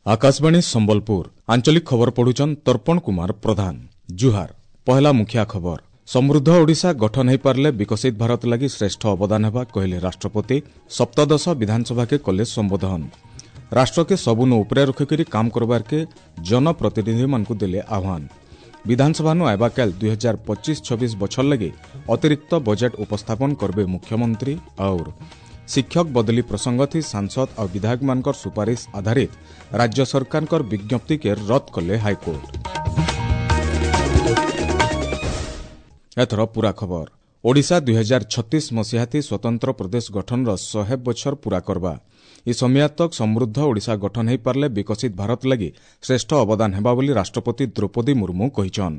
Akashvani Sambalpur ଆଞ୍ଚଳିକ ଖବର ପଢୁଛନ୍ ତର୍ପଣ କୁମାର ପ୍ରଧାନ। ଜୁହାର। ପହଲା ମୁଖିଆ ଖବର। ସମୃଦ୍ଧ ଓଡ଼ିଶା ଗଠନ ହୋଇପାରିଲେ ବିକଶିତ ଭାରତ ଲାଗି ଶ୍ରେଷ୍ଠ ଅବଦାନ ହେବା କହିଲେ ରାଷ୍ଟ୍ରପତି। ସପ୍ତଦଶ ବିଧାନସଭାକେ କଲେ ସମ୍ବୋଧନ। ରାଷ୍ଟ୍ରକେ ସବୁନୁ ଉପରେ ରଖିକରି କାମ କରବାର୍କେ ଜନପ୍ରତିନିଧିମାନଙ୍କୁ ଦେଲେ ଆହ୍ୱାନ। ବିଧାନସଭାନୁ ଆଇବାକାଲ 2025-26 ବଛର ଲାଗି ଅତିରିକ୍ତ ବଜେଟ୍ ଉପସ୍ଥାପନ କରିବେ ମୁଖ୍ୟମନ୍ତ୍ରୀ। और ଶିକ୍ଷକ ବଦଲି ପ୍ରସଙ୍ଗଥି ସାଂସଦ ଆଉ ବିଧାୟକମାନଙ୍କର ସୁପାରିଶ ଆଧାରିତ ରାଜ୍ୟ ସରକାରଙ୍କର ବିଜ୍ଞପ୍ତିକେ ରଦ୍ଦ କଲେ ହାଇକୋର୍ଟ। ଏଥର ପୂରା ଖବର। ଓଡ଼ିଶା 2036 ମସିହାଥି ସ୍ୱତନ୍ତ୍ର ପ୍ରଦେଶ ଗଠନର 100 ବଛର ପୂରା କରବା। ଇ ସମିୟା ତକ୍ ସମୃଦ୍ଧ ଓଡ଼ିଶା ଗଠନ ହୋଇପାରିଲେ ବିକଶିତ ଭାରତ ଲାଗି ଶ୍ରେଷ୍ଠ ଅବଦାନ ହେବା ବୋଲି ରାଷ୍ଟ୍ରପତି ଦ୍ରୌପଦୀ ମୁର୍ମୁ କହିଛନ୍।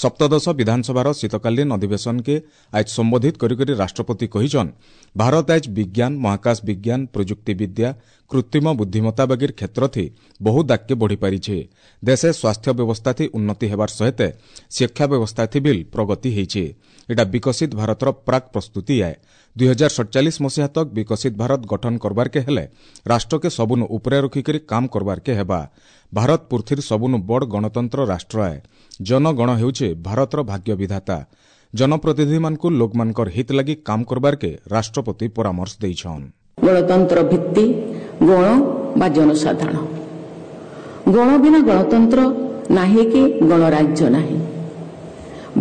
ସପ୍ତଦଶ ବିଧାନସଭାର ଶୀତକାଳୀନ ଅଧିବେଶନକେ ଆଜ ସମ୍ବୋଧିତ କରିକରି ରାଷ୍ଟ୍ରପତି କହିଛନ୍, ଭାରତ ଆଜ ବିଜ୍ଞାନ, ମହାକାଶ ବିଜ୍ଞାନ, ପ୍ରଯୁକ୍ତି ବିଦ୍ୟା, କୃତ୍ରିମ ବୁଦ୍ଧିମତ୍ତା ବାଗିର କ୍ଷେତ୍ରଥି ବହୁତ ଆଗକେ ବଢ଼ିପାରିଛେ। ଦେଶେ ସ୍ୱାସ୍ଥ୍ୟ ବ୍ୟବସ୍ଥାଥି ଉନ୍ନତି ହେବାର ସହିତ ଶିକ୍ଷା ବ୍ୟବସ୍ଥାଥି ବିଲ୍ ପ୍ରଗତି ହେଇଛେ। ଏଟା ବିକଶିତ ଭାରତର ପ୍ରାକ୍ ପ୍ରସ୍ତୁତି ଆଏ। 2047 ମସିହା ତକ୍ ବିକଶିତ ଭାରତ ଗଠନ କରବାର୍କେ ହେଲେ ରାଷ୍ଟ୍ରକେ ସବୁନୁ ଉପରେ ରଖିକରି କାମ କରବାର୍କେ ହେବା। ଭାରତ ପୃଥିବୀର ସବୁନୁ ବଡ଼ ଗଣତନ୍ତ୍ର ରାଷ୍ଟ୍ର ଆଏ। ଜନଗଣ ହେଉଛେ ଭାରତର ଭାଗ୍ୟ ବିଧାତା। ଜନପ୍ରତିନିଧିମାନଙ୍କୁ ଲୋକମାନଙ୍କର ହିତ ଲାଗି କାମ କରବାର୍କେ ରାଷ୍ଟ୍ରପତି ପରାମର୍ଶ ଦେଇଛନ୍। ଗଣତନ୍ତ୍ର ଭିତ୍ତି ଗଣ ବା ଜନସାଧାରଣ। ଗଣ ବିନା ଗଣତନ୍ତ୍ର ନାହିଁ କି ଗଣରାଜ୍ୟ ନାହିଁ।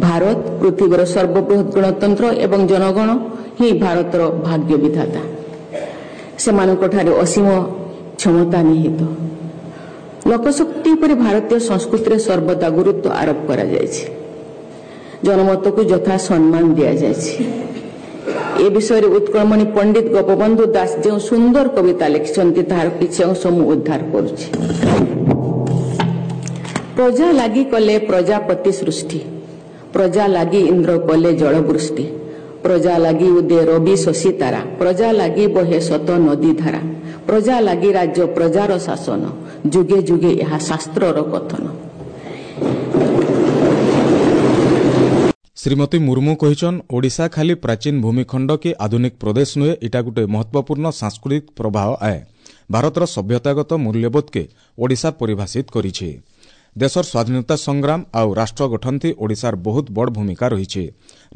ଭାରତ ପୃଥିବୀର ସର୍ବବୃହତ୍ ଗଣତନ୍ତ୍ର ଏବଂ ଜନଗଣ ହିଁ ଭାରତର ଭାଗ୍ୟ ବିଧାତା। ସେମାନଙ୍କଠାରେ ଅସୀମ କ୍ଷମତା ନିହିତ। ଲୋକଶକ୍ତି ଉପରେ ଭାରତୀୟ ସଂସ୍କୃତିରେ ସର୍ବଦା ଗୁରୁତ୍ୱ ଆରୋପ କରାଯାଇଛି। ଜନମତକୁ ଯଥା ସମ୍ମାନ ଦିଆଯାଇଛି। ଏ ବିଷୟରେ ଉତ୍କଳମଣି ପଣ୍ଡିତ ଗୋପବନ୍ଧୁ ଦାସ ଯେଉଁ ସୁନ୍ଦର କବିତା ଲେଖିଛନ୍ତି, ତାହାର କିଛି ଅଂଶ ମୁଁ ଉଦ୍ଧାର କରୁଛି। ପ୍ରଜା ଲାଗି କଲେ ପ୍ରଜାପତି ସୃଷ୍ଟି, ପ୍ରଜା ଲାଗି ଇନ୍ଦ୍ର କଲେ ଜଳବୃଷ୍ଟି, ପ୍ରଜା ଲାଗି ଉଦେ ରବି ଶଶୀ ତାରା, ପ୍ରଜା ଲାଗି ବହେ ଶତ ନଦୀ ଧାରା, ପ୍ରଜା ଲାଗି ରାଜ୍ୟ ପ୍ରଜାର ଶାସନ, ଯୁଗେ ଯୁଗେ ଏହା ଶାସ୍ତ୍ରର କଥନ। ଶ୍ରୀମତୀ ମୁର୍ମୁ କହିଛନ୍, ଓଡ଼ିଶା ଖାଲି ପ୍ରାଚୀନ ଭୂମିଖଣ୍ଡ କି ଆଧୁନିକ ପ୍ରଦେଶ ନୁହେଁ, ଏଟା ଗୋଟେ ମହତ୍ୱପୂର୍ଣ୍ଣ ସାଂସ୍କୃତିକ ପ୍ରବାହ ଆଏ। ଭାରତର ସଭ୍ୟତାଗତ ମୂଲ୍ୟବୋଧକେ ଓଡ଼ିଶା ପରିଭାଷିତ କରିଛି। ଦେଶର ସ୍ୱାଧୀନତା ସଂଗ୍ରାମ ଆଉ ରାଷ୍ଟ୍ର ଗଠନଥି ଓଡ଼ିଶାର ବହୁତ ବଡ଼ ଭୂମିକା ରହିଛି।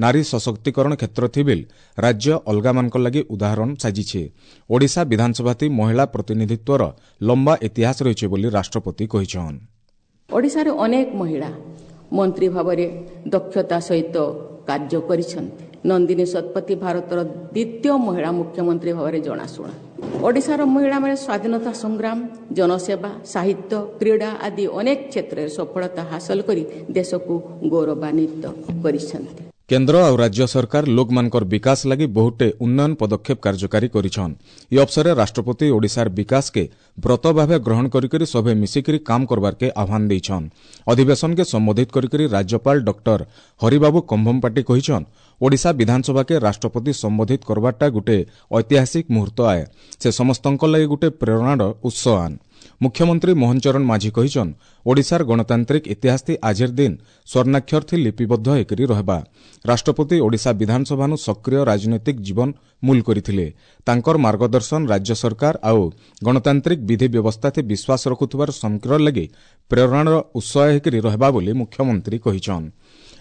ନାରୀ ସଶକ୍ତିକରଣ କ୍ଷେତ୍ରଥି ବିଲ୍ ରାଜ୍ୟ ଅଲଗାମାନଙ୍କ ଲାଗି ଉଦାହରଣ ସାଜିଛି। ଓଡ଼ିଶା ବିଧାନସଭାଥି ମହିଳା ପ୍ରତିନିଧିତ୍ୱର ଲମ୍ବା ଇତିହାସ ରହିଛି ବୋଲି ରାଷ୍ଟ୍ରପତି କହିଛନ୍। ଓଡ଼ିଶାରେ ଅନେକ ମହିଳା ମନ୍ତ୍ରୀ ଭାବରେ ଦକ୍ଷତା ସହିତ କାର୍ଯ୍ୟ କରିଛନ୍ତି। ନନ୍ଦିନୀ ଶତପଥୀ ଭାରତର ଦ୍ୱିତୀୟ ମହିଳା ମୁଖ୍ୟମନ୍ତ୍ରୀ ଭାବରେ ଜଣାଶୁଣା। ଓଡ଼ିଶାର ମହିଳାମାନେ ସ୍ୱାଧୀନତା ସଂଗ୍ରାମ, ଜନସେବା, ସାହିତ୍ୟ, କ୍ରୀଡ଼ା ଆଦି ଅନେକ କ୍ଷେତ୍ରରେ ସଫଳତା ହାସଲ କରି ଦେଶକୁ ଗୌରବାନ୍ୱିତ କରିଛନ୍ତି। କେନ୍ଦ୍ର ଆଉ ରାଜ୍ୟ ସରକାର ଲୋକମାନଙ୍କର ବିକାଶ ଲାଗି ବହୁଟେ ଉନ୍ନୟନ ପଦକ୍ଷେପ କାର୍ଯ୍ୟକାରୀ କରିଛନ୍। ଇ ଅବସରରେ ରାଷ୍ଟ୍ରପତି ଓଡ଼ିଶାର ବିକାଶକେ ବ୍ରତ ଭାବେ ଗ୍ରହଣ କରିକରି ସଭେ ମିଶିକରି କାମ କରବାର୍କେ ଆହ୍ୱାନ ଦେଇଛନ୍। ଅଧିବେଶନକେ ସମ୍ବୋଧିତ କରିକରି ରାଜ୍ୟପାଳ ଡକ୍ଟର ହରିବାବୁ କମ୍ଭମପାଟି କହିଛନ୍, ଓଡ଼ିଶା ବିଧାନସଭାକେ ରାଷ୍ଟ୍ରପତି ସମ୍ବୋଧିତ କରବାରଟା ଗୋଟେ ଐତିହାସିକ ମୁହୂର୍ତ୍ତ ଆଏ। ସେ ସମସ୍ତଙ୍କ ଲାଗି ଗୋଟେ ପ୍ରେରଣାର ଉତ୍ସ ଆନ୍। ମୁଖ୍ୟମନ୍ତ୍ରୀ ମୋହନ ଚରଣ ମାଝୀ କହିଛନ୍, ଓଡ଼ିଶାର ଗଣତାନ୍ତ୍ରିକ ଇତିହାସଥି ଆଜିର ଦିନ ସ୍ୱର୍ଣ୍ଣାକ୍ଷରଥି ଲିପିବଦ୍ଧ ହେଇକରି ରହିବା। ରାଷ୍ଟ୍ରପତି ଓଡ଼ିଶା ବିଧାନସଭାନୁ ସକ୍ରିୟ ରାଜନୈତିକ ଜୀବନ ମୂଲ କରିଥିଲେ। ତାଙ୍କର ମାର୍ଗଦର୍ଶନ ରାଜ୍ୟ ସରକାର ଆଉ ଗଣତାନ୍ତ୍ରିକ ବିଧି ବ୍ୟବସ୍ଥାଥି ବିଶ୍ୱାସ ରଖୁଥିବାର ସମଗ୍ର ଲାଗି ପ୍ରେରଣାର ଉତ୍ସ ହେଇକରି ରହିବା ବୋଲି ମୁଖ୍ୟମନ୍ତ୍ରୀ କହିଛନ୍।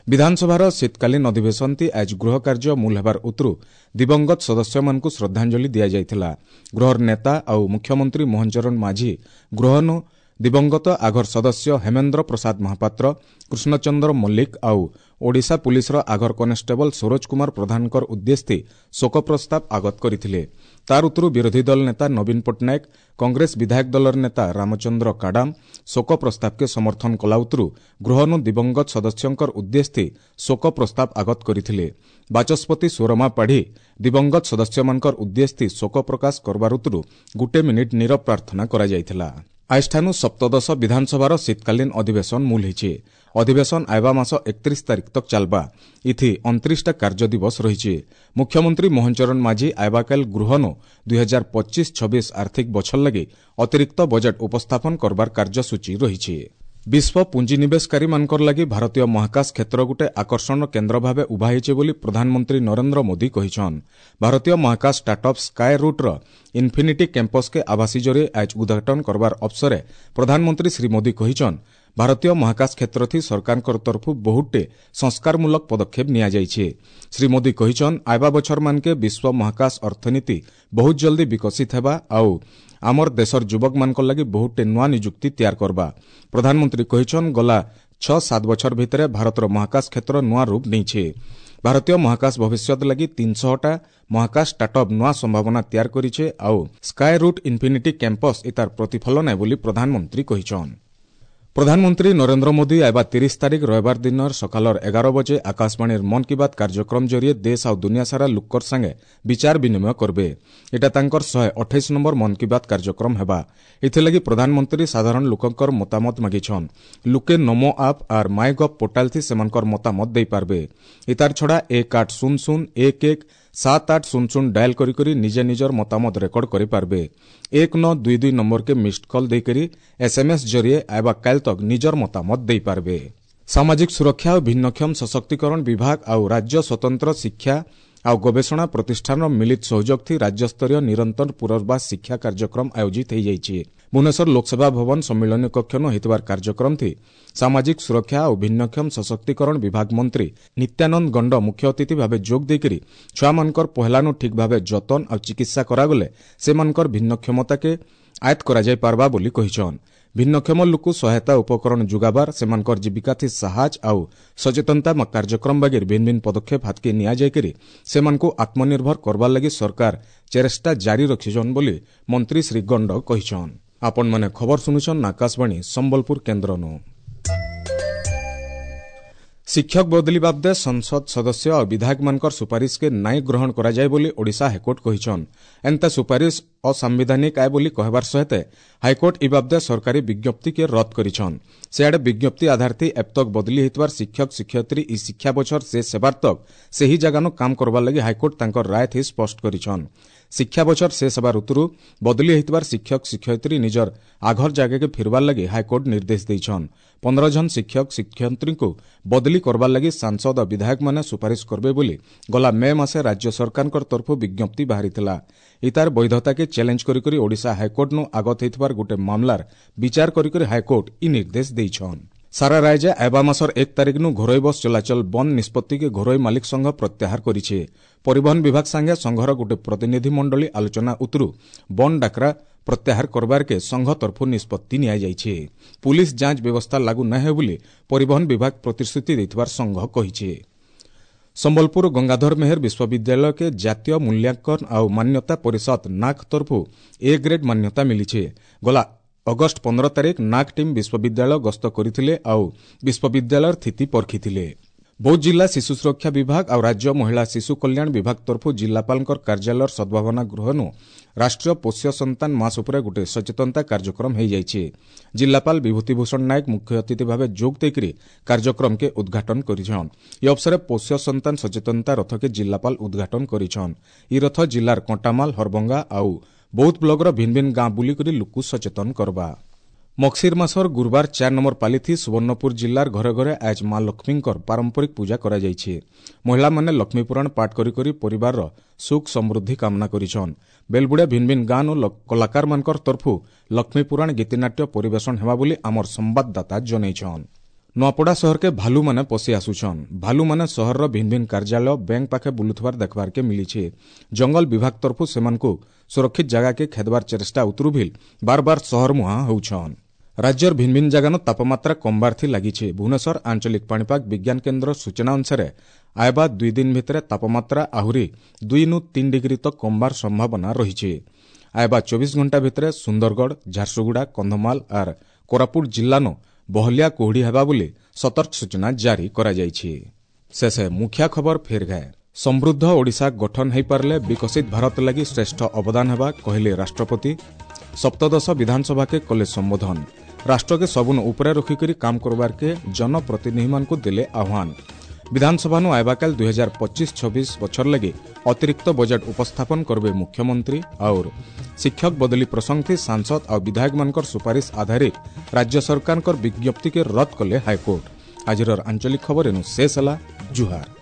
ବିଧାନସଭାର ଶୀତକାଳୀନ ଅଧିବେଶନଥି ଆଜ ଗୃହ କାର୍ଯ୍ୟ ମୂଲ ହେବାର ଉତରୁ ଦିବଂଗତ ସଦସ୍ୟମାନଙ୍କୁ ଶ୍ରଦ୍ଧାଞ୍ଜଳି ଦିଆଯାଇଥିଲା। ଗୃହର ନେତା ଆଉ ମୁଖ୍ୟମନ୍ତ୍ରୀ ମୋହନ ଚରଣ ମାଝୀ ଗୃହନୁ ଦିବଂଗତ ଆଘର ସଦସ୍ୟ ହେମେନ୍ଦ୍ର ପ୍ରସାଦ ମହାପାତ୍ର, କୃଷ୍ଣଚନ୍ଦ୍ର ମଲ୍ଲିକ ଆଉ ଓଡ଼ିଶା ପୁଲିସର ଆଘର କନେଷ୍ଟବଳ ସରୋଜ କୁମାର ପ୍ରଧାନଙ୍କର ଉଦ୍ଦେଶ୍ୟ ଶୋକ ପ୍ରସ୍ତାବ ଆଗତ କରିଥିଲେ। ତାର ଉତ୍ତରୁ ବିରୋଧୀ ଦଳ ନେତା ନବୀନ ପଟ୍ଟନାୟକ, କଂଗ୍ରେସ ବିଧାୟକ ଦଳର ନେତା ରାମଚନ୍ଦ୍ର କାଡାମ ଶୋକ ପ୍ରସ୍ତାବକେ ସମର୍ଥନ କଲା ଉତ୍ତରୁ ଗୃହନୁ ଦିବଂଗତ ସଦସ୍ୟଙ୍କର ଉଦ୍ଦେଶ୍ୟ ଶୋକ ପ୍ରସ୍ତାବ ଆଗତ କରିଥିଲେ। ବାଚସ୍ପତି ସୁରମା ପାଢ଼ୀ ଦିବଂଗତ ସଦସ୍ୟମାନଙ୍କର ଉଦ୍ଦେଶ୍ୟ ଶୋକ ପ୍ରକାଶ କରବାର ଉତ୍ତରୁ ଗୋଟେ ମିନିଟ୍ ନୀରବ ପ୍ରାର୍ଥନା କରାଯାଇଥିଲା। ଆଜିଠାନୁ ସପ୍ତଦଶ ବିଧାନସଭାର ଶୀତକାଳୀନ ଅଧିବେଶନ ମୂଲ ହେଇଛି। ଅଧିବେଶନ ଆଇବା ମାସ 31 ତାରିଖ ତକ୍ ଚାଲବା। ଇଥି 29ଟା କାର୍ଯ୍ୟ ଦିବସ ରହିଛି। ମୁଖ୍ୟମନ୍ତ୍ରୀ ମୋହନ ଚରଣ ମାଝୀ ଆଇବାକାଲ ଗୃହନୁ 2025-26 ଆର୍ଥିକ ବଛର ଲାଗି ଅତିରିକ୍ତ ବଜେଟ୍ ଉପସ୍ଥାପନ କରବାର କାର୍ଯ୍ୟସୂଚୀ ରହିଛି। ବିଶ୍ୱ ପୁଞ୍ଜିନିବେଶକାରୀମାନଙ୍କର ଲାଗି ଭାରତୀୟ ମହାକାଶ କ୍ଷେତ୍ର ଗୋଟେ ଆକର୍ଷଣ କେନ୍ଦ୍ର ଭାବେ ଉଭା ହୋଇଛି ବୋଲି ପ୍ରଧାନମନ୍ତ୍ରୀ ନରେନ୍ଦ୍ର ମୋଦି କହିଛନ୍। ଭାରତୀୟ ମହାକାଶ ଷ୍ଟାର୍ଟଅପ୍ ସ୍କାଏ ରୁଟ୍ର ଇନ୍ଫିନିଟି କ୍ୟାମ୍ପସ୍କେ ଆଭାସୀ ଜରିଏ ଆଜ ଉଦ୍ଘାଟନ କରବାର ଅବସରେ ପ୍ରଧାନମନ୍ତ୍ରୀ ଶ୍ରୀ ମୋଦି କହିଛନ୍, ଭାରତୀୟ ମହାକାଶ କ୍ଷେତ୍ରଥି ସରକାରଙ୍କ ତରଫୁ ବହୁତଟେ ସଂସ୍କାରମୂଳକ ପଦକ୍ଷେପ ନିଆଯାଇଛି। ଶ୍ରୀ ମୋଦି କହିଛନ୍, ଆଇବା ବଛରମାନକେ ବିଶ୍ୱ ମହାକାଶ ଅର୍ଥନୀତି ବହୁତ ଜଲ୍ଦି ବିକଶିତ ହେବା ଆଉ ଆମର ଦେଶର ଯୁବକମାନଙ୍କ ଲାଗି ବହୁତଟେ ନୂଆ ନିଯୁକ୍ତି ତିଆର କରବା। ପ୍ରଧାନମନ୍ତ୍ରୀ କହିଛନ୍, ଗଲା 6-7 ବଛର ଭିତରେ ଭାରତର ମହାକାଶ କ୍ଷେତ୍ର ନୂଆ ରୂପ ନେଇছে। ଭାରତୀୟ ମହାକାଶ ଭବିଷ୍ୟତ ଲାଗି 300ଟା ମହାକାଶ ଷ୍ଟାର୍ଟଅପ୍ ନୂଆ ସମ୍ଭାବନା ତିଆର କରିছে ଆଉ ସ୍କାଏ ରୁଟ୍ ଇନ୍ଫିନିଟି କ୍ୟାମ୍ପସ୍ ଏତାର ପ୍ରତିଫଳନ ବୋଲି ପ୍ରଧାନମନ୍ତ୍ରୀ କହିଛନ୍। ପ୍ରଧାନମନ୍ତ୍ରୀ ନରେନ୍ଦ୍ର ମୋଦି ଆଇବା 30 ତାରିଖ ରବିବାର ଦିନର ସକାଳର 11 ବଜେ ଆକାଶବାଣୀର ମନ୍ କି ବାତ୍ କାର୍ଯ୍ୟକ୍ରମ ଜରିଏ ଦେଶ ଆଉ ଦୁନିଆ ସାରା ଲୁକର ସାଙ୍ଗେ ବିଚାର ବିନିମୟ କରବେ। ଏଟା ତାଙ୍କର 128 ନମ୍ବର ମନ୍ କି ବାତ୍ କାର୍ଯ୍ୟକ୍ରମ ହେବା। ଏଥିଲାଗି ପ୍ରଧାନମନ୍ତ୍ରୀ ସାଧାରଣ ଲୋକଙ୍କର ମତାମତ ମାଗିଛନ୍। ଲୁକେ ନମୋ ଆପ୍ ଆର୍ ମାଇ ଗଭ୍ ପୋର୍ଟାଲ ଥି ସେମାନଙ୍କର ମତାମତ ଦେଇପାରବେ। ଇତାର ଛଡ଼ା 1800 11 7800 ଡାଏଲ୍ କରି କରି ନିଜେ ନିଜର ମତାମତ ରେକର୍ଡ କରିପାରବେ। 1922 ନମ୍ବରକେ ମିସ୍ଡ କଲ୍ ଦେଇକରି ଏସ୍ଏମ୍ଏସ୍ ଜରିଏ ଆଇବା କାଲ୍ ତକ୍ ନିଜର ମତାମତ ଦେଇପାରବେ। ସାମାଜିକ ସୁରକ୍ଷା ଓ ଭିନ୍ନକ୍ଷମ ସଶକ୍ତିକରଣ ବିଭାଗ ଆଉ ରାଜ୍ୟ ସ୍ୱତନ୍ତ୍ର ଶିକ୍ଷା ଆଉ ଗବେଷଣା ପ୍ରତିଷ୍ଠାନର ମିଳିତ ସହଯୋଗ ଥି ରାଜ୍ୟସ୍ତରୀୟ ନିରନ୍ତର ପୁନର୍ବାସ ଶିକ୍ଷା କାର୍ଯ୍ୟକ୍ରମ ଆୟୋଜିତ ହୋଇଯାଇଛି। ଭୁବନେଶ୍ୱର ଲୋକସେବା ଭବନ ସମ୍ମିଳନୀ କକ୍ଷନୁ ହୋଇଥିବାର କାର୍ଯ୍ୟକ୍ରମ ଥି ସାମାଜିକ ସୁରକ୍ଷା ଓ ଭିନ୍ନକ୍ଷମ ସଶକ୍ତିକରଣ ବିଭାଗ ମନ୍ତ୍ରୀ ନିତ୍ୟାନନ୍ଦ ଗଣ୍ଡ ମୁଖ୍ୟ ଅତିଥି ଭାବେ ଯୋଗ ଦେଇକରି ଛୁଆମାନଙ୍କର ପହେଲାନୁ ଠିକ୍ ଭାବେ ଯତନ ଆଉ ଚିକିତ୍ସା କରାଗଲେ ସେମାନଙ୍କର ଭିନ୍ନକ୍ଷମତାକେ ଆୟତ୍ତ କରାଯାଇ ପାରବା ବୋଲି କହିଛନ୍। ଭିନ୍ନକ୍ଷମ ଲୋକକୁ ସହାୟତା ଉପକରଣ ଯୋଗାବାର, ସେମାନଙ୍କର ଜୀବିକାଥି ସାହାଯ୍ୟ ଆଉ ସଚେତନତା କାର୍ଯ୍ୟକ୍ରମ ବାଗିର ଭିନ୍ନ ଭିନ୍ନ ପଦକ୍ଷେପ ହାତକେ ନିଆଯାଇକରି ସେମାନଙ୍କୁ ଆତ୍ମନିର୍ଭର କରବାର ଲାଗି ସରକାର ଚେଷ୍ଟା ଜାରି ରଖିଛନ୍ ବୋଲି ମନ୍ତ୍ରୀ ଶ୍ରୀ ଗଣ୍ଡ କହିଛନ୍। ଆପଣମାନେ ଖବର ଶୁଣୁଛନ୍ ଆକାଶବାଣୀ ସମ୍ବଲପୁର କେନ୍ଦ୍ରନୁ। ଶିକ୍ଷକ ବଦଲି ବାବଦେ ସଂସଦ ସଦସ୍ୟ ଆଉ ବିଧାୟକମାନଙ୍କର ସୁପାରିଶକେ ନାଇଁ ଗ୍ରହଣ କରାଯାଏ ବୋଲି ଓଡ଼ିଶା ହାଇକୋର୍ଟ କହିଛନ୍। ଏନ୍ତା ସୁପାରିଶ ଅସାମ୍ବିଧାନିକ ଆଏ ବୋଲି କହିବାର ସହିତ ହାଇକୋର୍ଟ ଇ ବାବଦେ ସରକାରୀ ବିଜ୍ଞପ୍ତିକେ ରଦ୍ଦ କରିଛନ୍। ସେଆଡ଼େ ବିଜ୍ଞପ୍ତି ଆଧାରଥି ଏବତକ ବଦଲି ହୋଇଥିବାର ଶିକ୍ଷକ ଶିକ୍ଷୟିତ୍ରୀ ଇ ଶିକ୍ଷା ବଛର ଶେଷ ହେବାର ତକ୍ ସେହି ଜାଗାନୁ କାମ କରବାର ଲାଗି ହାଇକୋର୍ଟ ତାଙ୍କର ରାୟ ଥି ସ୍ପଷ୍ଟ କରିଛନ୍। ଶିକ୍ଷା ବଛର ଶେଷ ହେବାର ଉତ୍ତରୁ ବଦଲି ହୋଇଥିବାର ଶିକ୍ଷକ ଶିକ୍ଷୟିତ୍ରୀ ନିଜର ଆଘର ଜାଗାକେ ଫିରବାର ଲାଗି ହାଇକୋର୍ଟ ନିର୍ଦ୍ଦେଶ ଦେଇଛନ୍। 15 ଜଣ ଶିକ୍ଷକ ଶିକ୍ଷୟିତ୍ରୀଙ୍କୁ ବଦଲି କରବାର ଲାଗି ସାଂସଦ ବିଧାୟକମାନେ ସୁପାରିଶ କରବେ ବୋଲି ଗଲା ମେ ମାସେ ରାଜ୍ୟ ସରକାରଙ୍କ ତରଫରୁ ବିଜ୍ଞପ୍ତି ବାହାରିଥିଲା। ଇତାର ବୈଧତାକେ ଚ୍ୟାଲେଞ୍ଜ କରିକରି ଓଡ଼ିଶା ହାଇକୋର୍ଟନୁ ଆଗତ ହୋଇଥିବାର ଗୋଟେ ମାମଲାର ବିଚାର କରିକରି ହାଇକୋର୍ଟ ଇ ନିର୍ଦ୍ଦେଶ ଦେଇଛନ୍। ସାରା ରାଜ୍ୟ ଆଇବା ମାସର 1 ତାରିଖନୁ ଘରୋଇ ବସ୍ ଚଳାଚଳ ବନ୍ଦ ନିଷ୍ପତ୍ତିକେ ଘରୋଇ ମାଲିକ ସଂଘ ପ୍ରତ୍ୟାହାର କରିছে। ପରିବହନ ବିଭାଗ ସାଙ୍ଗେ ସଂଘର ଗୋଟେ ପ୍ରତିନିଧି ମଣ୍ଡଳୀ ଆଲୋଚନା ଉତ୍ତରୁ ବନ୍ଦ ଡାକରା ପ୍ରତ୍ୟାହାର କରବାରକେ ସଂଘ ତରଫରୁ ନିଷ୍ପତ୍ତି ନିଆଯାଇଛି। ପୁଲିସ ଯାଞ୍ଚ ବ୍ୟବସ୍ଥା ଲାଗୁ ନ ହେବ ବୋଲି ପରିବହନ ବିଭାଗ ପ୍ରତିଶ୍ରୁତି ଦେଇଥିବାର ସଂଘ କହିଛି। ସମ୍ବଲପୁର ଗଙ୍ଗାଧର ମେହେର ବିଶ୍ୱବିଦ୍ୟାଳୟକେ ଜାତୀୟ ମୂଲ୍ୟାଙ୍କନ ଆଉ ମାନ୍ୟତା ପରିଷଦ ନାକ୍ ତରଫରୁ ଏ ଗ୍ରେଡ୍ ମାନ୍ୟତା ମିଳିଛି। ଗଲା ଅଗଷ୍ଟ 15 ତାରିଖ ନାକ୍ ଟିମ୍ ବିଶ୍ୱବିଦ୍ୟାଳୟ ଗସ୍ତ କରିଥିଲେ ଆଉ ବିଶ୍ୱବିଦ୍ୟାଳୟର ସ୍ଥିତି ପରଖିଥିଲେ। ବୌଦ୍ଧ ଜିଲ୍ଲା ଶିଶୁ ସୁରକ୍ଷା ବିଭାଗ ଆଉ ରାଜ୍ୟ ମହିଳା ଶିଶୁ କଲ୍ୟାଣ ବିଭାଗ ତରଫରୁ ଜିଲ୍ଲାପାଳଙ୍କ କାର୍ଯ୍ୟାଳୟର ସଦ୍ଭାବନା ଗୃହନୁ ରାଷ୍ଟ୍ରୀୟ ପୋଷ୍ୟ ସନ୍ତାନ ମାସ ଉପରେ ଗୋଟେ ସଚେତନତା କାର୍ଯ୍ୟକ୍ରମ ହୋଇଯାଇଛି। ଜିଲ୍ଲାପାଳ ବିଭୂତିଭୂଷଣ ନାୟକ ମୁଖ୍ୟ ଅତିଥି ଭାବେ ଯୋଗ ଦେଇକରି କାର୍ଯ୍ୟକ୍ରମକେ ଉଦ୍ଘାଟନ କରିଛନ୍। ଏ ଅବସରେ ପୋଷ୍ୟ ସନ୍ତାନ ସଚେତନତା ରଥକେ ଜିଲ୍ଲାପାଳ ଉଦ୍ଘାଟନ କରିଛନ୍। ଇ ରଥ ଜିଲ୍ଲାର କଣ୍ଟାମାଲ, ହରଭଙ୍ଗା ଆଉ ବୌଦ୍ଧ ବ୍ଲକର ଭିନ୍ନ ଭିନ୍ନ ଗାଁ ବୁଲିକରି ଲୋକକୁ ସଚେତନ କରବା। ମକ୍ସିର ମାସର ଗୁରୁବାର 4 ନମ୍ବର ପାଲିଥି ସୁବର୍ଣ୍ଣପୁର ଜିଲ୍ଲାର ଘରେ ଘରେ ଆଜ ମା ଲକ୍ଷ୍ମୀଙ୍କର ପାରମ୍ପରିକ ପୂଜା କରାଯାଇଛି। ମହିଳାମାନେ ଲକ୍ଷ୍ମୀପୁରାଣ ପାଠ କରି କରି ପରିବାରର ସୁଖ ସମୃଦ୍ଧି କାମନା କରିଛନ୍। ବେଲବୁଡ଼ିଆ ଭିନ୍ନ ଭିନ୍ନ ଗାଁନୁ କଳାକାରମାନଙ୍କର ତରଫରୁ ଲକ୍ଷ୍ମୀପୁରାଣ ଗୀତିନାଟ୍ୟ ପରିବେଷଣ ହେବା ବୋଲି ଆମର ସମ୍ବାଦଦାତା ଜଣାଇଛନ୍। ନୂଆପଡ଼ା ସହରକେ ଭାଲୁମାନେ ପଶି ଆସୁଛନ୍। ଭାଲୁମାନେ ସହରର ଭିନ୍ନ ଭିନ୍ନ କାର୍ଯ୍ୟାଳୟ, ବ୍ୟାଙ୍କ ପାଖେ ବୁଲୁଥିବାର ଦେଖବାରକେ ମିଳିছে। ଜଙ୍ଗଲ ବିଭାଗ ତରଫରୁ ସେମାନଙ୍କୁ ସୁରକ୍ଷିତ ଜାଗାକେ ଖେଦବାର ଚେଷ୍ଟା ଉତରୁ ଭିଲ ବାର ବାର ସହର ମୁହାଁ ହେଉଛନ୍। ରାଜ୍ୟର ଭିନ୍ନ ଭିନ୍ନ ଜାଗାନ ତାପମାତ୍ରା କମବାରଥି ଲାଗିছে। ଭୁବନେଶ୍ୱର ଆଞ୍ଚଳିକ ପାଣିପାଗ ବିଜ୍ଞାନ କେନ୍ଦ୍ର ସୂଚନା ଅନୁସାରେ ଆଇବା 2 ଦିନ ଭିତରେ ତାପମାତ୍ରା ଆହୁରି 2-3 ଡିଗ୍ରୀ ତକ କମବାର ସମ୍ଭାବନା ରହିଛି। ଆଇବା 24 ଘଣ୍ଟା ଭିତରେ ସୁନ୍ଦରଗଡ଼, ଝାରସୁଗୁଡ଼ା, କନ୍ଧମାଳ ଆର୍ କୋରାପୁଟ ଜିଲ୍ଲାନୁ ବହଲିଆ କୁହୁଡ଼ି ହେବା ବୋଲି ସତର୍କ ସୂଚନା ଜାରି କରାଯାଇଛି। ଶେଷେ ମୁଖ୍ୟ ଖବର ଫେର ଗାଏ। ସମୃଦ୍ଧ ଓଡ଼ିଶା ଗଠନ ହୋଇପାରିଲେ ବିକଶିତ ଭାରତ ଲାଗି ଶ୍ରେଷ୍ଠ ଅବଦାନ ହେବା କହିଲେ ରାଷ୍ଟ୍ରପତି। ସପ୍ତଦଶ ବିଧାନସଭାକେ କଲେ ସମ୍ବୋଧନ। ରାଷ୍ଟ୍ରକେ ସବୁନ ଉପରେ ରଖିକରି କାମ କରବାରକେ ଜନପ୍ରତିନିଧିମାନଙ୍କୁ ଦେଲେ ଆହ୍ୱାନ। ବିଧାନସଭାନୁ ଆଇବାକାଲ 2025-26 ବଛର ଲାଗି ଅତିରିକ୍ତ ବଜେଟ୍ ଉପସ୍ଥାପନ କରିବେ ମୁଖ୍ୟମନ୍ତ୍ରୀ। ଆଉର ଶିକ୍ଷକ ବଦଲି ପ୍ରସଙ୍ଗଥି ସାଂସଦ ଆଉ ବିଧାୟକମାନଙ୍କର ସୁପାରିଶ ଆଧାରିତ ରାଜ୍ୟ ସରକାରଙ୍କର ବିଜ୍ଞପ୍ତିକେ ରଦ୍ଦ କଲେ ହାଇକୋର୍ଟ। ଆଜିର ଆଞ୍ଚଳିକ ଖବର ଏନୁ ଶେଷ ହେଲା। ଜୁହାର।